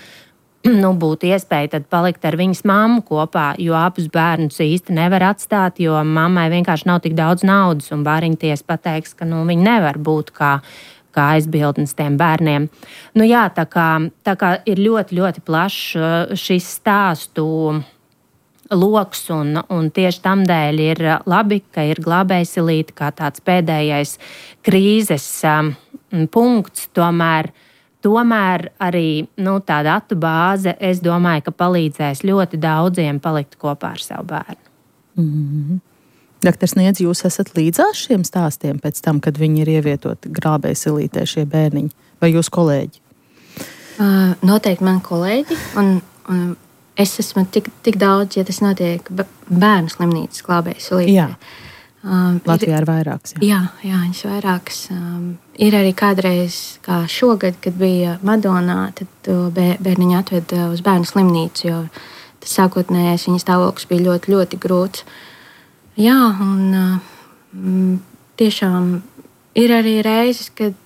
būtu iespēja tad palikt ar viņas mammu kopā, jo abus bērnus īsti nevar atstāt, jo mammai vienkārši nav tik daudz naudas, un bāriņtiesa pateiks, ka viņi nevar būt kā aizbildnis tiem bērniem. Tā kā ir ļoti, ļoti plašs šis stāstu loks, un tieši tam dēļ ir labi, ka ir glābējsilīte kā tāds pēdējais krīzes punkts. Tomēr arī tā datu bāze, es domāju, ka palīdzēs ļoti daudziem palikt kopā ar savu bērnu. Mm-hmm. Dr. Sniedz, jūs esat līdzās šiem stāstiem pēc tam, kad viņi ir ievietoti glābējsilītē šie bērniņi, vai jūs kolēģi? Noteikti man kolēģi, un es esmu tik daudz, ja tas notiek bērnu slimnīcas glābējsilītē. Latvijā ir vairākas. Jā, viņas vairākas. Ir arī kādreiz, kā šogad, kad bija Madonā, tad bērniņu atveda uz bērnu slimnīcu, jo tas sākotnējais viņa stāvoklis bija ļoti, ļoti grūts. Jā, un tiešām ir arī reizes, kad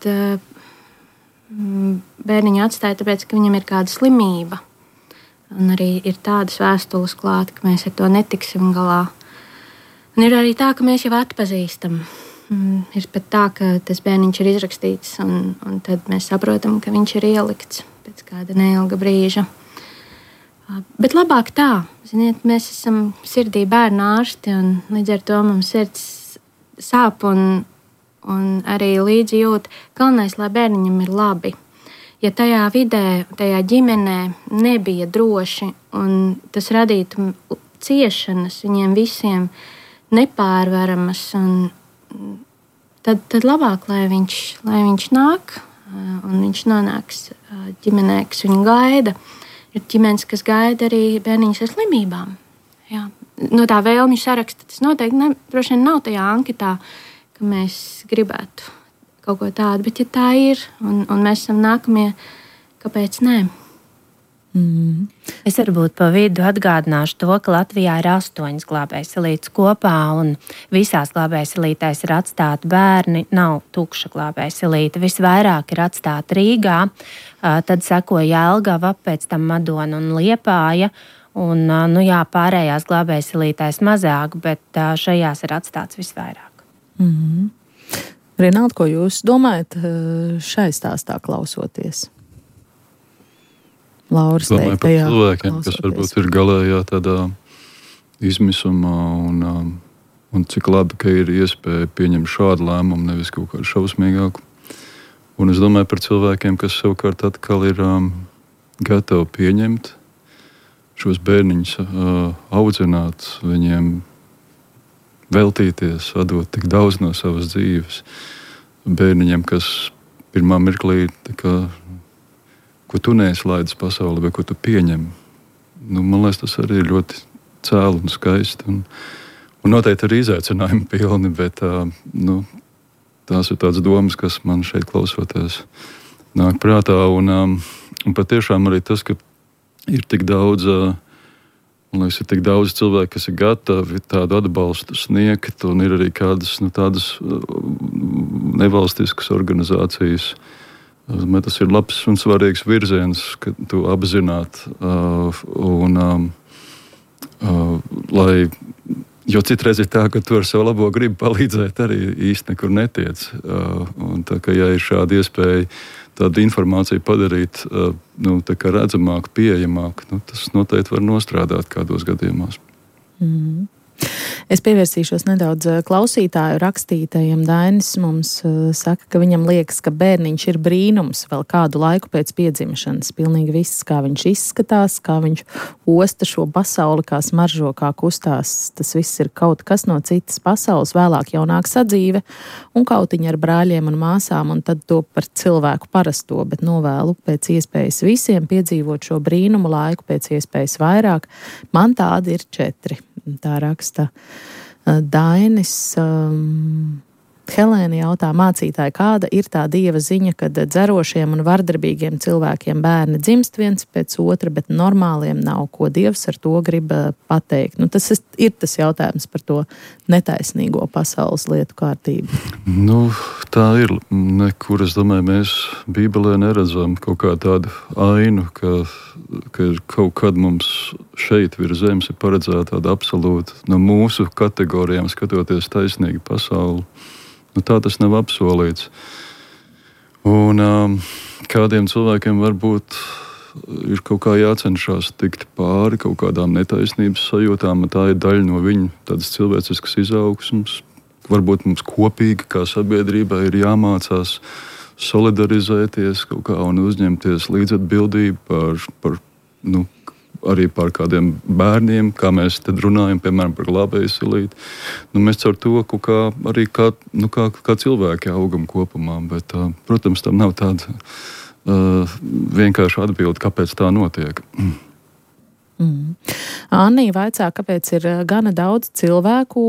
bērniņu atstāja, tāpēc, ka viņam ir kāda slimība. Un arī ir tādas vēstules klāt, ka mēs ar to netiksim galā. Un ir arī tā, ka mēs jau atpazīstam. Ir pat tā, ka tas bērniņš ir izrakstīts, un tad mēs saprotam, ka viņš ir ielikts pēc kāda neilga brīža. Bet labāk tā, ziniet, mēs esam sirdī bērnu ārsti, un līdz ar to mums sirds sāp un arī līdzi jūt. Galvenais, lai bērniņam ir labi. Ja tajā vidē, tajā ģimenē nebija droši, un tas radītu ciešanas viņiem visiem nepārvaramas, tad labāk, lai viņš nāk, un viņš nonāks ģimenē, kas viņu gaida. Ir ģimenes, kas gaida arī bērniņus ar slimībām. Jā. No tā vēlmju saraksta tas noteikti droši vien nav tajā anketā, ka mēs gribētu kaut ko tādu, bet ja tā ir, un mēs esam nākamie, kāpēc nē? Es varbūt pa vidu atgādināšu to, ka Latvijā ir 8 glābējsalītes kopā, un visās glābējsalītēs ir atstāti bērni, nav tukša glābējsalīte. Visvairāk ir atstāti Rīgā, tad sekoja Jelgava, pēc tam Madona un Liepāja, un pārējās glābējsalītēs mazāk, bet šajās ir atstāts visvairāk. Rinalda, ko jūs domājat šai stāstā klausoties? Lauras domāju par cilvēkiem, kas varbūt ir galējā tādā izmisumā un cik labi, ka ir iespēja pieņemt šādu lēmumu, nevis kaut kādu šausmīgāku. Un es domāju par cilvēkiem, kas savukārt atkal ir gatavi pieņemt šos bērniņus, audzināt, viņiem veltīties, atdot tik daudz no savas dzīves. Bērniņiem, kas pirmā mirklī ko tu neizlaidzi pasaulē, vai ko tu pieņem. Man liekas, tas arī ir ļoti cēli un skaisti. Un noteikti arī izaicinājumi pilni, bet tās ir tādas domas, kas man šeit klausoties nāk prātā. Un patiešām arī tas, ka ir tik daudz, man liekas, ir tik daudz cilvēku, kas ir gatavi tādu atbalstu sniegt, un ir arī kādas tādas nevalstiskas organizācijas. Tas ir labs un svarīgs virziens, ka tu apzināt, jo citreiz ir tā, ka tu ar savu labo gribu palīdzēt arī īsti nekur netiec. Un tā kā ja ir šāda iespēja tādu informāciju padarīt tā kā redzamāk, pieejamāk, tas noteikti var nostrādāt kādos gadījumos. Es pievērsīšos nedaudz klausītāju rakstītajiem. Dainis mums saka, ka viņam liekas, ka bērniņš ir brīnums vēl kādu laiku pēc piedzimšanas. Pilnīgi viss, kā viņš izskatās, kā viņš osta šo pasauli, kā smaržo, kā kustās. Tas viss ir kaut kas no citas pasaules, vēlāk jaunāk sadzīve un kautiņa ar brāļiem un māsām, un tad to par cilvēku parasto, bet novēlu pēc iespējas visiem piedzīvot šo brīnumu laiku pēc iespējas vairāk. Man tādi ir 4. Tā raksta Dainis. Helēna jautā mācītāji, kāda ir tā dieva ziņa, kad dzerošiem un vardarbīgiem cilvēkiem bērni dzimst viens pēc otra, bet normāliem nav, ko dievs ar to grib pateikt? Tas ir tas jautājums par to netaisnīgo pasaules lietu kārtību. Tā ir. Nekur, es domāju, mēs Bībelē neredzam kaut kā tādu ainu, ka kaut kad mums šeit virs zemes ir paredzēta tāda absolūta no mūsu kategorijām skatoties taisnīga pasauli. Tā tas nav apsolīts. Un kādiem cilvēkiem varbūt ir kaut kā jācenšas tikt pāri kaut kādām netaisnības sajūtām, un tā ir daļa no viņu tādas cilvēciskas izaugsmes. Varbūt mums kopīgi kā sabiedrībai ir jāmācās solidarizēties kaut kā un uzņemties līdzatbildību par arī par kādiem bērniem, kā mēs tad runājam, piemēram, par glābējsalīti. Mēs caur to arī kā cilvēki augam kopumā, bet, protams, tam nav tāda vienkārša atbilde, kāpēc tā notiek. Annija vaicā, kāpēc ir gana daudz cilvēku,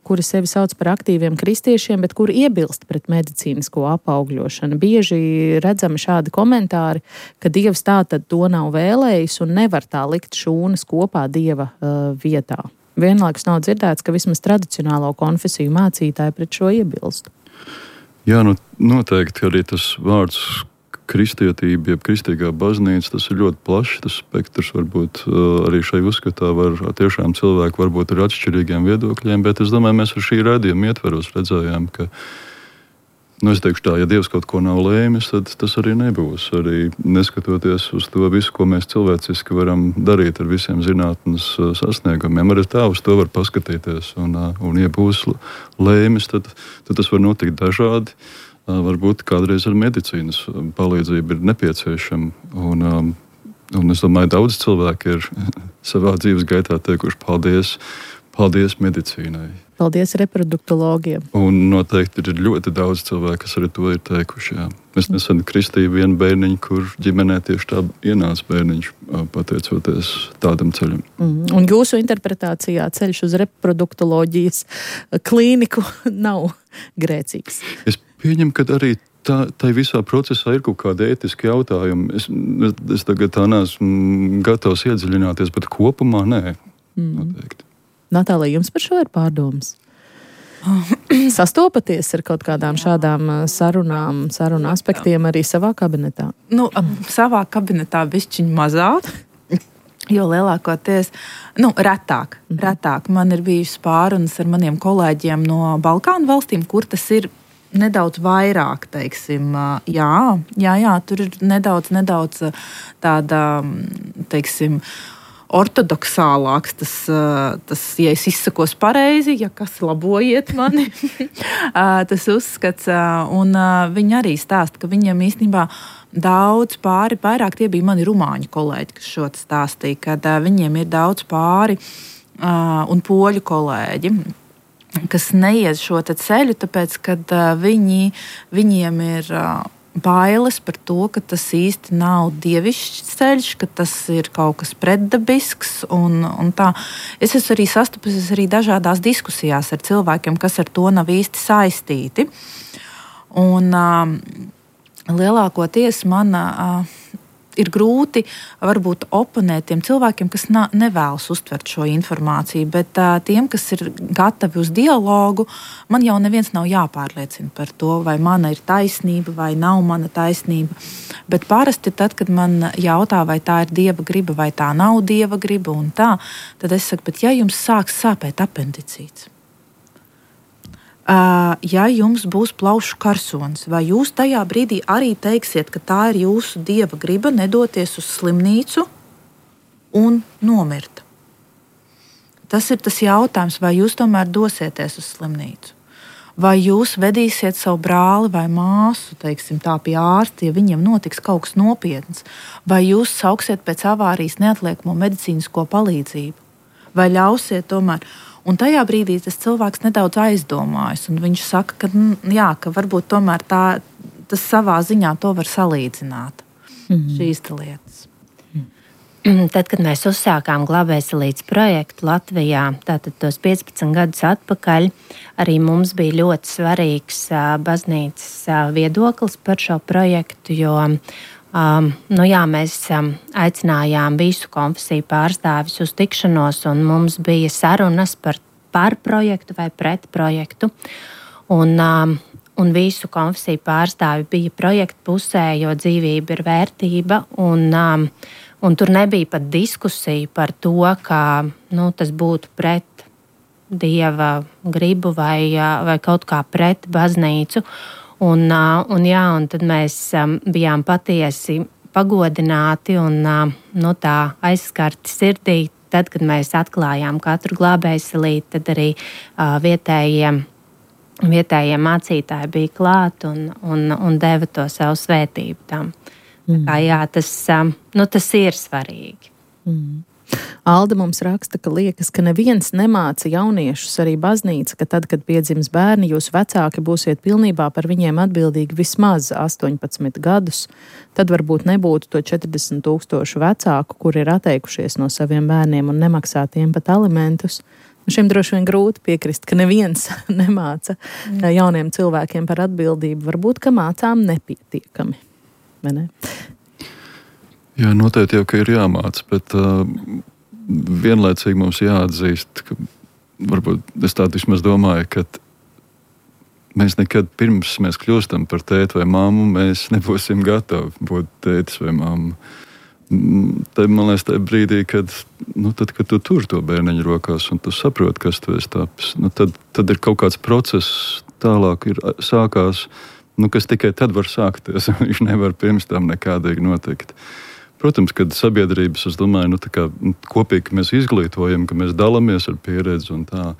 kuri sevi sauc par aktīviem kristiešiem, bet kuri iebilst pret medicīnisko apaugļošanu. Bieži redzami šādi komentāri, ka Dievs tātad to nav vēlējis un nevar tā likt šūnas kopā Dieva vietā. Vienlaikus nav dzirdēts, ka vismaz tradicionālo konfesiju mācītāji pret šo iebilst. Jā, noteikti arī tas vārds kristietība, jeb kristīgā baznīca, tas ir ļoti plašs, tas spektrs varbūt arī šai uzskatā var tiešām cilvēki varbūt ar atšķirīgiem viedokļiem, bet es domāju, mēs ar šī raidījuma ietveros redzējām, ka, es teikšu tā, ja Dievs kaut ko nav lēmis, tad tas arī nebūs. Arī neskatoties uz to visu, ko mēs cilvēciski varam darīt ar visiem zinātnes sasniegumiem, arī tā uz to var paskatīties, un ja būs lēmis, tad tas var notikt dažādi. Varbūt kādreiz ar medicīnas palīdzību ir nepieciešama. Un es domāju, daudz cilvēki ir savā dzīves gaitā teikuši paldies medicīnai. Paldies reproduktologiem. Un noteikti ir ļoti daudz cilvēku, kas arī to ir teikuši. Jā. Es nesen kristīju vienu bērniņu, kur ģimenē tieši tā ienāca bērniņš, pateicoties tādam ceļam. Un jūsu interpretācijā ceļš uz reproduktoloģijas klīniku nav grēcīgs? Es pieņemu, ka arī tai visā procesā ir kaut kāda ētiska jautājuma. Es tagad tā neesmu gatavs iedziļināties, bet kopumā nē. Noteikti. Natālija, jums par šo ir pārdomas? Sastopaties ar kaut kādām šādām sarunu aspektiem arī savā kabinetā? Savā kabinetā bišķiņ mazāk, jo lielākoties, retāk. Man ir bijušas pārunas ar maniem kolēģiem no Balkānu valstīm, kur tas ir nedaudz vairāk, teiksim, tur ir nedaudz tāda, teiksim, ortodoksālāks, tas, ja es izsakos pareizi, ja kas labojiet mani, tas uzskats, un viņi arī stāsta, ka viņiem īstenībā daudz pāri, vairāk tie bija mani rumāņu kolēģi, kas šo stāstīja, kad viņiem ir daudz pāri un poļu kolēģi, kas neiet šo ceļu, tāpēc, kad viņiem ir bailes par to, ka tas īsti nav dievišķs ceļš, ka tas ir kaut kas pretdabisks un tā. Es esmu arī sastapusies arī dažādās diskusijās ar cilvēkiem, kas ar to nav īsti saistīti. Un lielākoties man ir grūti varbūt oponēt tiem cilvēkiem, kas nevēlas uztvert šo informāciju, bet tiem, kas ir gatavi uz dialogu, man jau neviens nav jāpārliecina par to, vai mana ir taisnība, vai nav mana taisnība. Bet parasti tad, kad man jautā, vai tā ir Dieva griba, vai tā nav Dieva griba un tā, tad es saku, bet ja jums sāks sāpēt apendicīts, ja jums būs plaušu karsonis, vai jūs tajā brīdī arī teiksiet, ka tā ir jūsu Dieva griba nedoties uz slimnīcu un nomirt? Tas ir tas jautājums, vai jūs tomēr dosieties uz slimnīcu? Vai jūs vedīsiet savu brāli vai māsu, teiksim, tā pie ārsta, ja viņiem notiks kaut kas nopietns? Vai jūs sauksiet pēc avārijas neatliekamo medicīnisko palīdzību? Vai ļausiet tomēr? Un tajā brīdī tas cilvēks nedaudz aizdomājas, un viņš saka, ka varbūt tomēr tas savā ziņā to var salīdzināt, šīs lietas. Tad, kad mēs uzsākām Glābējselītes projektu Latvijā, tātad tos 15 gadus atpakaļ, arī mums bija ļoti svarīgs baznīcas viedoklis par šo projektu, jo mēs aicinājām visu konfesiju pārstāvis uz tikšanos, un mums bija sarunas par projektu vai pret projektu. Un visu konfesiju pārstāvi bija projekta pusē, jo dzīvība ir vērtība, un tur nebija pat diskusija par to, ka tas būtu pret Dieva gribu vai kaut kā pret baznīcu. Un tad mēs bijām patiesi pagodināti un tā aizskarti sirdī. Tad, kad mēs atklājām katru glābējselīti, tad arī vietējie mācītāji bija klāt un deva to savu svētību tam. Tas ir svarīgi. Alda mums raksta, ka liekas, ka neviens nemāca jauniešus, arī baznīca, ka tad, kad piedzims bērni, jūs vecāki būsiet pilnībā par viņiem atbildīgi vismaz 18 gadus. Tad varbūt nebūtu to 40,000 vecāku, kuri ir atteikušies no saviem bērniem un nemaksā tiem pat alimentus. Šim droši vien grūti piekrist, ka neviens nemāca jauniem cilvēkiem par atbildību. Varbūt, ka mācām nepietiekami. Vai ne? Jā, noteikti jau, ka ir jāmāc, bet vienlaicīgi mums jāatzīst, ka varbūt es tā vismaz domāju, ka mēs nekad pirms mēs kļūstam par tēti vai mammu, mēs nebūsim gatavi būt tētis vai mammu. Tad, man liekas, tajā brīdī, kad tu tur to bērniņu rokās un tu saproti, kas tu esi tapis, tad ir kaut kāds process tālāk sākās, kas tikai tad var sākties. Viņš nevar pirms tam nekādīgi notikt. Protams, kad sabiedrības, es domāju, kopīgi mēs izglītojam, ka mēs dalāmies ar pieredzi un tā.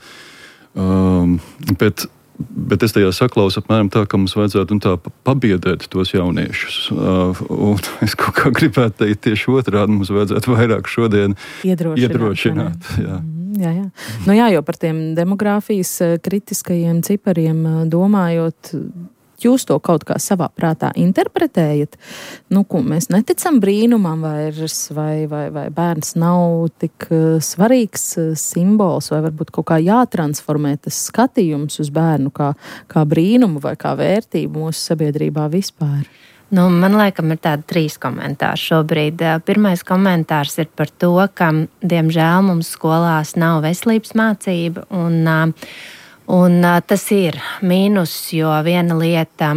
Bet es tajā saklausu apmēram tā, ka mums vajadzētu tā pabiedēt tos jauniešus. Un es kaut kā gribētu teikt tieši otrādi, mums vajadzētu vairāk šodien iedrošināt. Jā. Jā, jo par tiem demogrāfijas kritiskajiem cipariem domājot, jūs to kaut kā savā prātā interpretējat? Mēs neticam brīnumam vairs, vai bērns nav tik svarīgs simbols, vai varbūt kaut kā jātransformē tas skatījums uz bērnu kā brīnumu vai kā vērtību mūsu sabiedrībā vispār? Man laikam ir tādi 3 komentāri šobrīd. Pirmais komentārs ir par to, ka, diemžēl, mums skolās nav veselības mācība, un tas ir mīnus, jo viena lieta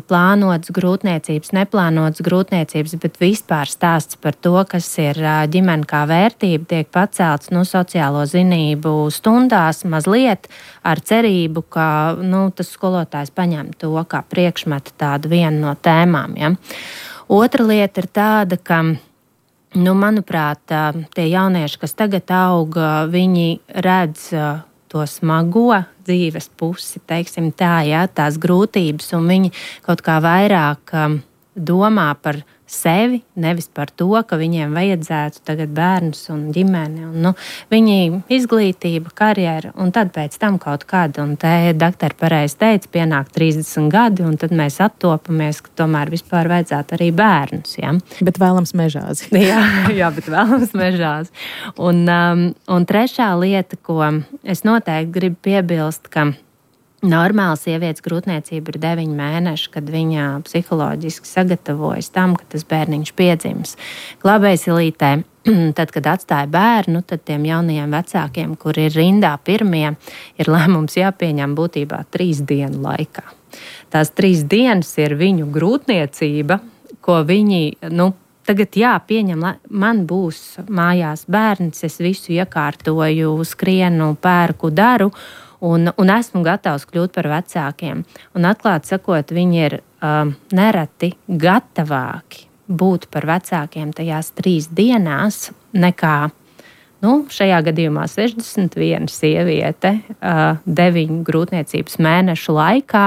plānotas grūtniecības, neplānotas grūtniecības, bet vispār stāsts par to, kas ir ģimene kā vērtība, tiek pacelts sociālo zinību stundās mazliet ar cerību, ka tas skolotājs paņem to kā priekšmetu tādu vienu no tēmām. Ja? Otra lieta ir tāda, ka manuprāt, tie jaunieši, kas tagad aug, viņi redz to smago dzīves pusi, teiksim tā, tās grūtības, un viņi kaut kā vairāk domā par sevi, nevis par to, ka viņiem vajadzētu tagad bērnus un ģimeni, un viņi izglītība, karjera, un tad pēc tam kaut kad, un te doktori pareizi teica, pienāk 30 gadi, un tad mēs attopamies, ka tomēr vispār vajadzētu arī bērnus, ja? Bet vēlams mežāzi. jā, bet vēlams mežāzi. Un trešā lieta, ko es noteikti gribu piebilst, ka normāla sievietes grūtniecība ir 9 mēneši, kad viņa psiholoģiski sagatavojas tam, ka tas bērniņš piedzims. Glābējsilītē, tad, kad atstāja bērnu, tad tiem jaunajiem vecākiem, kur ir rindā pirmie, ir lēmums jāpieņem būtībā 3 dienu laikā. Tās 3 dienas ir viņu grūtniecība, ko viņi, tagad pieņem, man būs mājās bērns, es visu iekārtoju, skrienu, pērku, daru, un esmu gatavs kļūt par vecākiem. Un atklāti sakot, viņi ir nereti gatavāki būt par vecākiem tajās 3 dienās nekā, šajā gadījumā 61 sieviete 9 grūtniecības mēnešu laikā,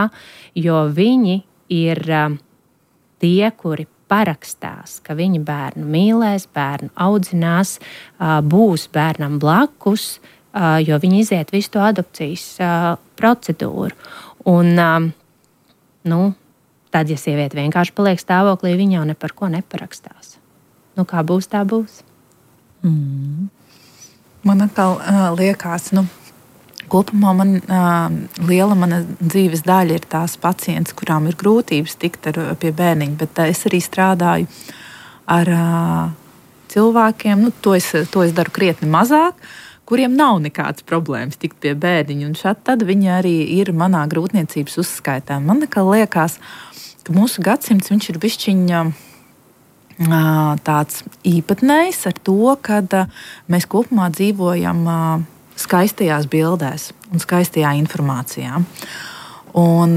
jo viņi ir tie, kuri parakstās, ka viņi bērnu mīlēs, bērnu audzinās, būs bērnam blakus, jo viņi iziet visu to adopcijas procedūru. Un, tad, ja sieviete vienkārši paliek stāvoklī, viņa jau ne par ko neparakstās. Kā būs, tā būs. Man atkal liekas, kopumā liela mana dzīves daļa ir tās pacients, kurām ir grūtības tikt pie bērniņa, bet es arī strādāju ar cilvēkiem, to es daru krietni mazāk, kuriem nav nekādas problēmas tikt pie bērniņa, un tad viņi arī ir manā grūtniecības uzskaitā. Man liekas, ka mūsu gadsimts viņš ir bišķiņa tāds īpatnējs ar to, ka mēs kopumā dzīvojam skaistajās bildēs un skaistajā informācijā. Un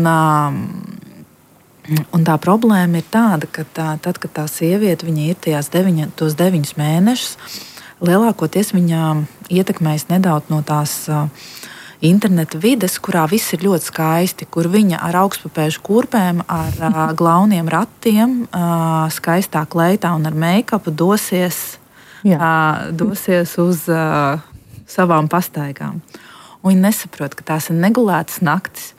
tā problēma ir tāda, ka tad, kad tā sieviete viņa ir tos 9 mēnešus, lielākoties viņa ietekmējas nedaudz no tās interneta vides, kurā viss ir ļoti skaisti, kur viņa ar augstpapēžu kurpēm, ar glauniem ratiem, skaistā kleitā un ar make-upu dosies dosies uz savām pastaigām. Un viņi nesaprot, ka tās ir negulētas naktis.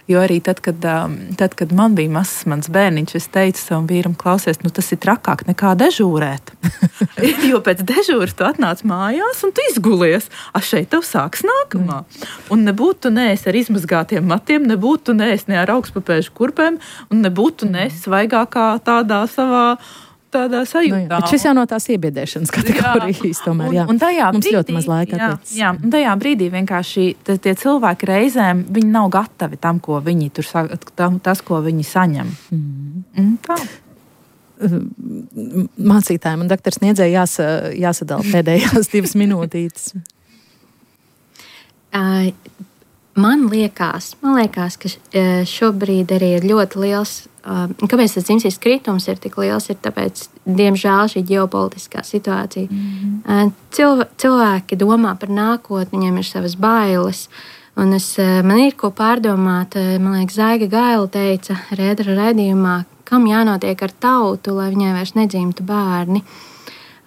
Jo arī tad, kad man bija mazs mans bērniņš, es teicu savam vīram, klausies, tas ir trakāk nekā dežūrēt. Jo pēc dežūras tu atnāc mājās un tu izgulies. Šeit tev sāks nākamā. Un nebūtu tu neesi ar izmazgātiem matiem, nebūtu tu neesi ne ar augstpapēžu kurpēm, un nebūtu tu neesi svaigākā tādā savā tādā sajūtā. Bet šis jau no tās iebiedēšanas kategorijas tomēr, jā. Un tajā mums brīdī, ļoti maz laika atlicis. Jā, un tajā brīdī vienkārši tie cilvēki reizēm, viņi nav gatavi tam, ko viņi tur tas, ko viņi saņem. Tā. Mācītājiem un doktors Sniedzēja jāsadala pēdējās 2 minūtītes. Man liekas, ka šobrīd arī ir ļoti liels. Kāpēc tas dzimstības kritums ir tik liels? Ir tāpēc, diemžēl, šī ģeopolitiskā situācija. Cilvēki domā par nākotni, viņiem ir savas bailes. Un man ir ko pārdomāt. Man liekas, Zaiga Gaila teica Rēdera raidījumā, kam jānotiek ar tautu, lai viņai vairs nedzimtu bērni.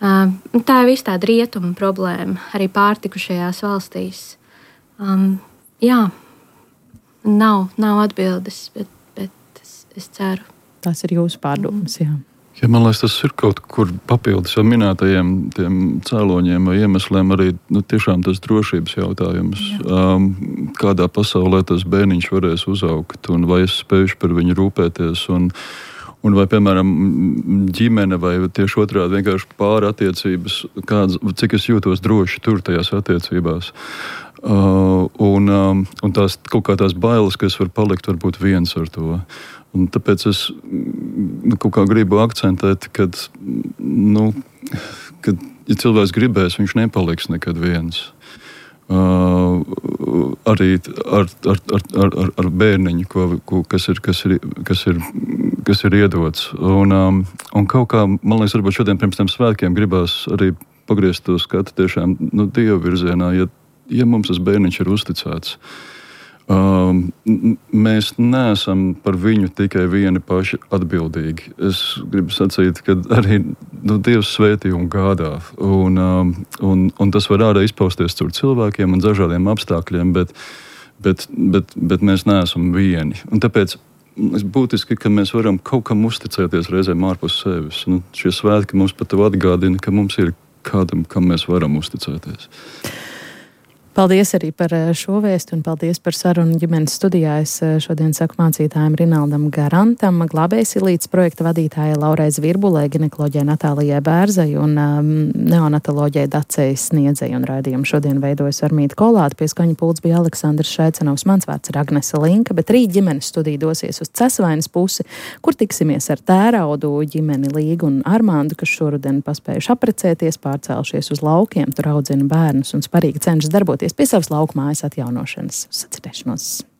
Tā ir viss tāda rietuma problēma, arī pārtikušajās valstīs. Jā, nav atbildes, bet es ceru. Tas ir jūsu pārdomas, jā. Ja, man liekas, tas ir kaut kur papildus jau minētajiem tiem cēloņiem vai iemesliem arī tiešām tas drošības jautājums. Kādā pasaulē tas bērniņš varēs uzaugt un vai es spējuši par viņu rūpēties un vai, piemēram, ģimene vai tieši otrādi vienkārši pāri attiecības, cik es jūtos droši tur tajās attiecībās. Un tās kaut kā tās bailes, ka es varu palikt varbūt viens ar to. Un tāpēc es kaut kā gribu akcentēt, kad ja cilvēks gribēs, viņš nepaliks nekad viens. Arī ar bērniņu, kas ir iedots. Un kaut kā, man liekas, varbūt šodien pirms tiem svētkiem gribās arī pagriezt to skatu tiešām Dieva virzienā, ja mums tas bērniņš ir uzticēts. Mēs neesam par viņu tikai vieni paši atbildīgi. Es gribu sacīt, ka arī Dievs svētī un gādā. Un tas var ārā izpausties caur cilvēkiem un dažādiem apstākļiem, bet mēs neesam vieni. Un tāpēc būtiski, ka mēs varam kaut kam uzticēties reizēm ārpus sevis. Šie svētki mums pat atgādina, ka mums ir kādam, kam mēs varam uzticēties. Paldies arī par šo vēstu un paldies par sarunu ģimenes studijā. Es šodien saku mācītājiem Rinaldam Garantam, Glābējs Ilītes projekta vadītājai Laurai Zvirbulē, ginekoloģijai Natālijai Bērzai un neonatoloģijai Dacei Sniedzei. Un raidījumu šodien veidojas Armīta Kolāte, pie skaņa pults bija Aleksandrs Šaicenovs, mans vārds ir Agnese Linka, bet rīt ģimenes studija dosies uz Cesvainas pusi, kur tiksimies ar Tēraudu ģimeni Līgu un Armandu, kas šoruden paspējuši aprecēties, pārcēlušies uz laukiem, tur audzina bērnus un sparīgi cenšas darboties pie savas laukmājas atjaunošanas. Sadzirdēšanos!